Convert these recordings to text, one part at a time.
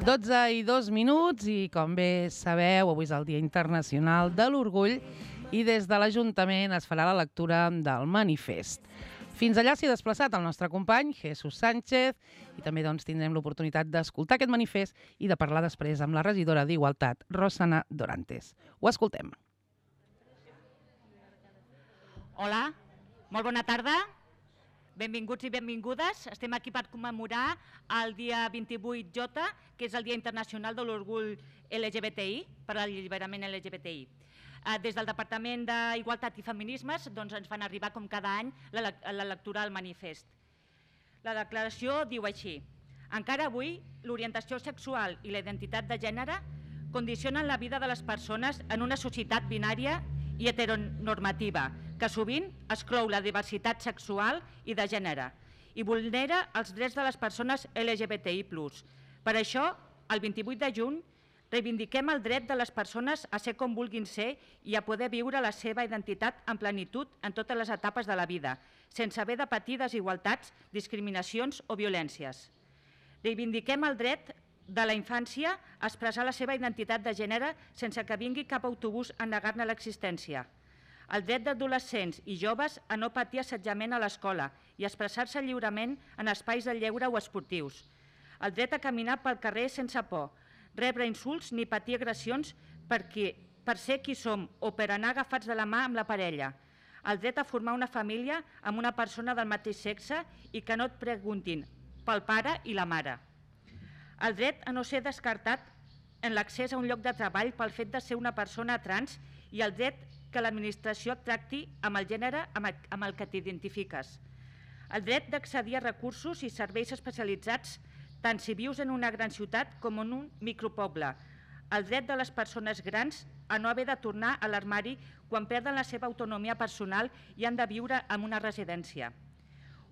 12:02 i com bé sabeu, avui és el Dia Internacional de l'Orgull i des de l'Ajuntament es farà la lectura del manifest. Fins allà s'hi ha desplaçat el nostre company, Jesús Sánchez, i també tindrem l'oportunitat d'escoltar aquest manifest i de parlar després amb la regidora d'Igualtat, Rosana Dorantes. Ho escoltem. Hola, molt bona tarda. Benvinguts i benvingudes. Estem aquí per commemorar el dia 28J, que és el Dia Internacional de l'Orgull LGBTI, per l'alliberament LGBTI. Des del Departament d'Igualtat i Feminismes ens fan arribar, com cada any, la lectura del manifest. La declaració diu així: encara avui, l'orientació sexual i la identitat de gènere condicionen la vida de les persones en una societat binària i heteronormativa, que sovint exclou la diversitat sexual i de gènere i vulnera els drets de les persones LGBTI+. Per això, el 28 de juny, reivindiquem el dret de les persones a ser com vulguin ser i a poder viure la seva identitat en plenitud en totes les etapes de la vida, sense haver de patir desigualtats, discriminacions o violències. Reivindiquem el dret de la infància a expressar la seva identitat de gènere sense que vingui cap autobús a negar-ne l'existència. El dret d'adolescents i joves a no patir assetjament a l'escola i expressar-se lliurement en espais de lleure o esportius. El dret a caminar pel carrer sense por, rebre insults ni patir agressions per ser qui som o per anar agafats de la mà amb la parella. El dret a formar una família amb una persona del mateix sexe i que no et preguntin pel pare i la mare. El dret a no ser descartat en l'accés a un lloc de treball pel fet de ser una persona trans i el dret que l'administració et tracti amb el gènere amb el que t'identifiques. El dret d'accedir a recursos i serveis especialitzats tant si vius en una gran ciutat com en un micropoble. El dret de les persones grans a no haver de tornar a l'armari quan perden la seva autonomia personal i han de viure en una residència.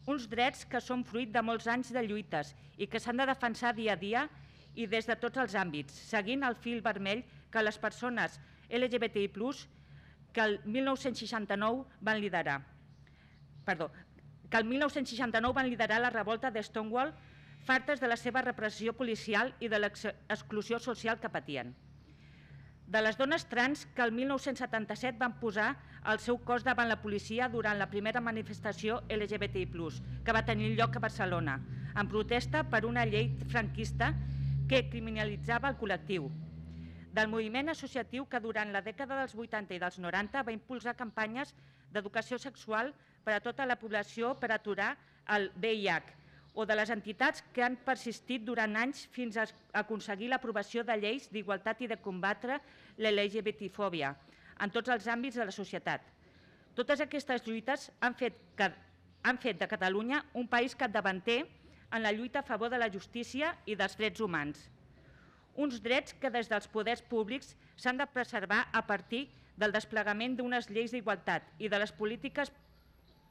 Uns drets que són fruit de molts anys de lluites i que s'han de defensar dia a dia i des de tots els àmbits, seguint el fil vermell que les persones LGBTI+, que el 1969 van liderar. Que el 1969 van liderar la revolta de Stonewall, fartes de la seva repressió policial i de l'exclusió social que patien. De les dones trans que el 1977 van posar el seu cos davant la policia durant la primera manifestació LGBTI+, que va tenir lloc a Barcelona, en protesta per una llei franquista que criminalitzava el col·lectiu. Del moviment associatiu que durant la dècada dels 80 i dels 90 va impulsar campanyes d'educació sexual per a tota la població per aturar el VIH, o de les entitats que han persistit durant anys fins a aconseguir l'aprovació de lleis d'igualtat i de combatre l'LGBTfòbia en tots els àmbits de la societat. Totes aquestes lluites han fet de Catalunya un país capdavanter en la lluita a favor de la justícia i dels drets humans. Uns drets que des dels poders públics s'han de preservar a partir del desplegament d'unes lleis d'igualtat i de les polítiques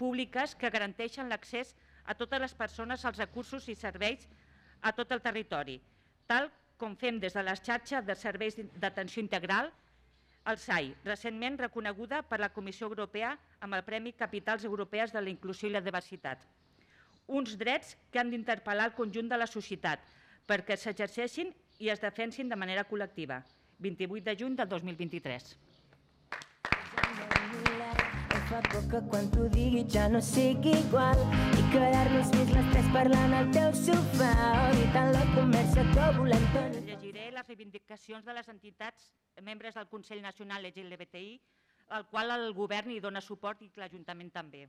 públiques que garanteixen l'accés a totes les persones als recursos i serveis a tot el territori, tal com fem des de la xarxa de serveis d'atenció integral, el SAI, recentment reconeguda per la Comissió Europea amb el Premi Capitals Europees de la Inclusió i la Diversitat. Uns drets que han d'interpel·lar el conjunt de la societat perquè s'exerceixin i es defensin de manera col·lectiva. 28 de juny del 2023. Fa por que quan t'ho digui ja no sigui igual i quedar-nos més les tres parlant al teu sofà evitant la conversa que volem tenir. Llegiré les reivindicacions de les entitats membres del Consell Nacional LGBTI, al qual el govern hi dona suport i l'Ajuntament també.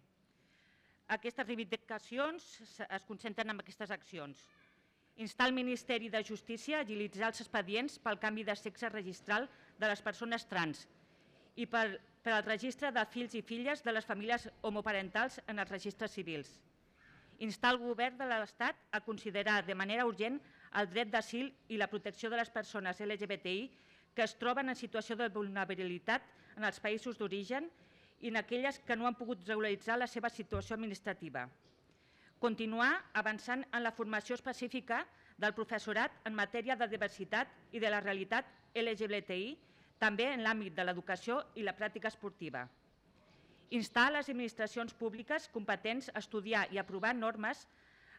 Aquestes reivindicacions es concentren en aquestes accions. Instar el Ministeri de Justícia a agilitzar els expedients pel canvi de sexe registral de les persones trans i per al registre de fills i filles de les famílies homoparentals en els registres civils. Instar el govern de l'Estat a considerar de manera urgent el dret d'asil i la protecció de les persones LGBTI que es troben en situació de vulnerabilitat en els països d'origen i en aquelles que no han pogut regularitzar la seva situació administrativa. Continuar avançant en la formació específica del professorat en matèria de diversitat i de la realitat LGBTI, també en l'àmbit de l'educació i la pràctica esportiva. Instar les administracions públiques competents a estudiar i aprovar normes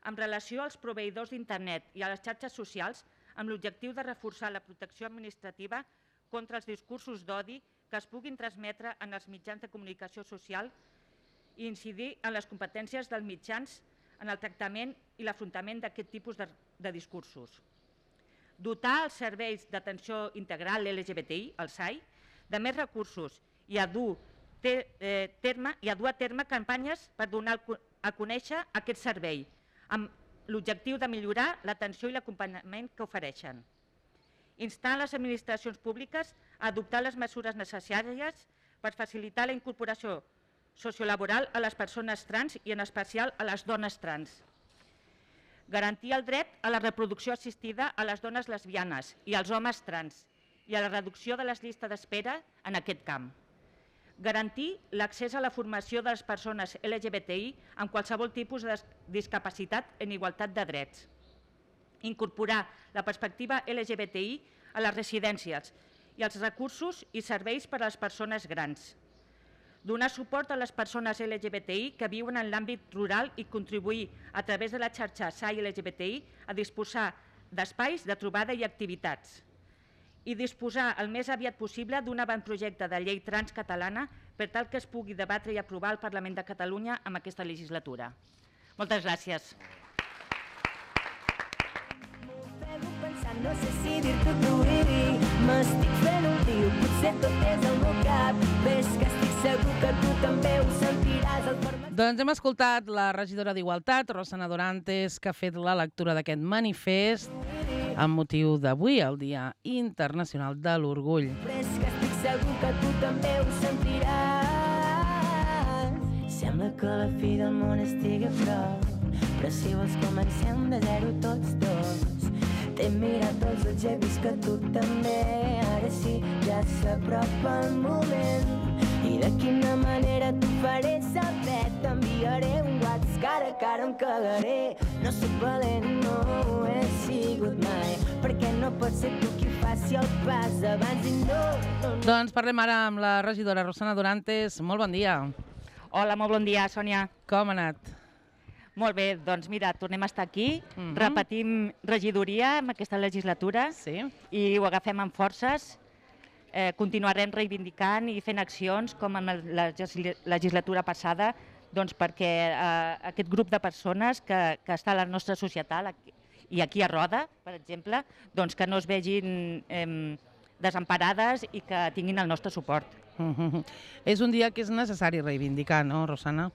en relació als proveïdors d'Internet i a les xarxes socials amb l'objectiu de reforçar la protecció administrativa contra els discursos d'odi que es puguin transmetre en els mitjans de comunicació social i incidir en les competències dels mitjans en el tractament i l'afrontament d'aquest tipus de discursos. Dotar els serveis d'atenció integral LGBTI, el SAI, de més recursos i a dur a terme campanyes per donar a conèixer aquest servei, amb l'objectiu de millorar l'atenció i l'acompanyament que ofereixen. Instar les administracions públiques a adoptar les mesures necessàries per facilitar la incorporació sociolaboral a les persones trans i en especial a les dones trans. Garantir el dret a la reproducció assistida a les dones lesbianes i als homes trans i a la reducció de les llistes d'espera en aquest camp. Garantir l'accés a la formació de les persones LGBTI amb qualsevol tipus de discapacitat en igualtat de drets. Incorporar la perspectiva LGBTI a les residències i els recursos i serveis per a les persones grans. Donar suport a les persones LGBTI que viuen en l'àmbit rural i contribuir a través de la xarxa SAI LGBTI a disposar d'espais de trobada i activitats. I disposar el més aviat possible d'un avantprojecte de llei trans catalana per tal que es pugui debatre i aprovar al Parlament de Catalunya en aquesta legislatura. Moltes gràcies. No sé si dir-te t'obririr, m'estic fent un tio, potser tot és el meu cap, ves que estic segur que tu també ho sentiràs al format... Doncs hem escoltat la regidora d'Igualtat, Rosana Dorantes, que ha fet la lectura d'aquest manifest amb motiu d'avui, el Dia Internacional de l'Orgull. Ves que estic segur que tu també ho sentiràs. Sembla que la fi del món estigui a prop, però si vols comencem de zero tots dos. T'he mirat els ulls, he vist que tu també. Ara sí, ja s'apropa el moment. I de quina manera t'ho faré saber. T'enviaré un WhatsApp cara a cara, em cagaré. No soc valent, no ho he sigut mai, perquè no pot ser tu qui faci el pas abans i no. Doncs parlem ara amb la regidora Rosana Dorantes. Molt bon dia. Hola, molt bon dia, Sònia. Com ha anat? Molt bé, doncs mira, tornem a estar aquí, repetim regidoria en aquesta legislatura i ho agafem amb forces. Continuarem reivindicant i fent accions com en la legislatura passada perquè aquest grup de persones que està a la nostra societat i aquí a Roda, per exemple, que no es vegin desemparades i que tinguin el nostre suport. És un dia que és necessari reivindicar, no, Rosana?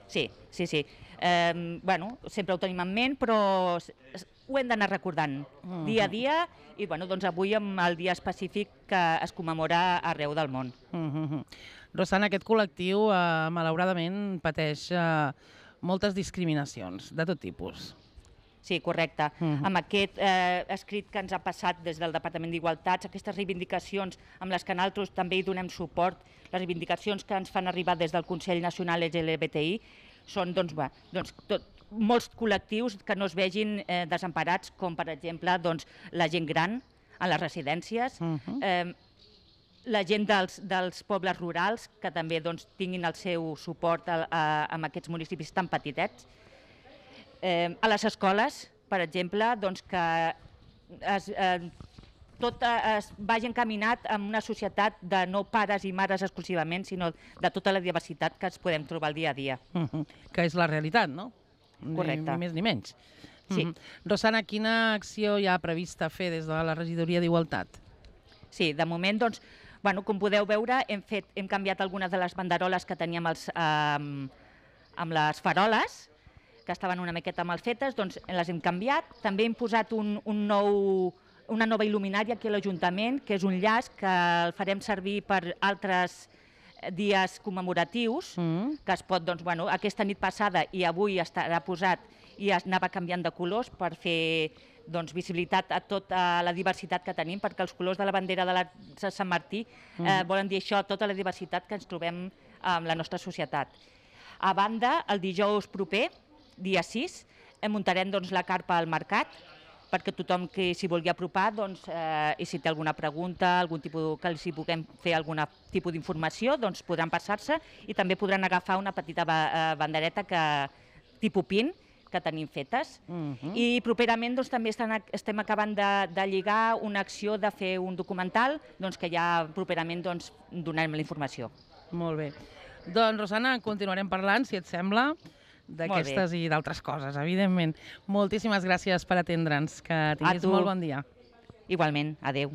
Sí. Sempre ho tenim en ment, però ho hem d'anar recordant dia a dia i avui amb el dia específic que es commemora arreu del món. Rosana, aquest col·lectiu malauradament pateix moltes discriminacions de tot tipus. Sí, correcte. Amb aquest escrit que ens ha passat des del Departament d'Igualtats, aquestes reivindicacions amb les que nosaltres també hi donem suport, les reivindicacions que ens fan arribar des del Consell Nacional LGBTI, són molts col·lectius que no es vegin desemparats, com per exemple la gent gran a les residències, la gent dels pobles rurals que també tinguin el seu suport en aquests municipis tan petitets, a les escoles, per exemple, que tot es vagi encaminat en una societat de no pares i mares exclusivament, sinó de tota la diversitat que ens podem trobar al dia a dia. Que és la realitat, no? Correcte. Ni més ni menys. Sí. Rosana, quina acció hi ha prevista fer des de la regidoria d'Igualtat? Sí, de moment, com podeu veure, hem canviat algunes de les banderoles que teníem amb les faroles, que estaven una miqueta mal fetes, les hem canviat. També hem posat una nova il·luminària aquí a l'Ajuntament, que és un llaç que el farem servir per altres dies commemoratius, que es pot, aquesta nit passada i avui estarà posat i anava canviant de colors per fer visibilitat a tota la diversitat que tenim, perquè els colors de la bandera de Sant Martí volen dir això, tota la diversitat que ens trobem en la nostra societat. A banda, el dijous proper, dia 6, muntarem la carpa al mercat perquè tothom que s'hi vulgui apropar, i si té alguna pregunta, algun tipus que els hi puguem fer algun tipus d'informació, doncs podran passar-se i també podran agafar una petita bandereta tipus pin que tenim fetes. I properament també estem acabant de lligar una acció de fer un documental que ja properament donarem la informació. Molt bé. Doncs, Rosana, continuarem parlant, si et sembla, d'aquestes i d'altres coses, evidentment. Moltíssimes gràcies per atendre'ns. Que tinguis molt bon dia. Igualment. Adéu.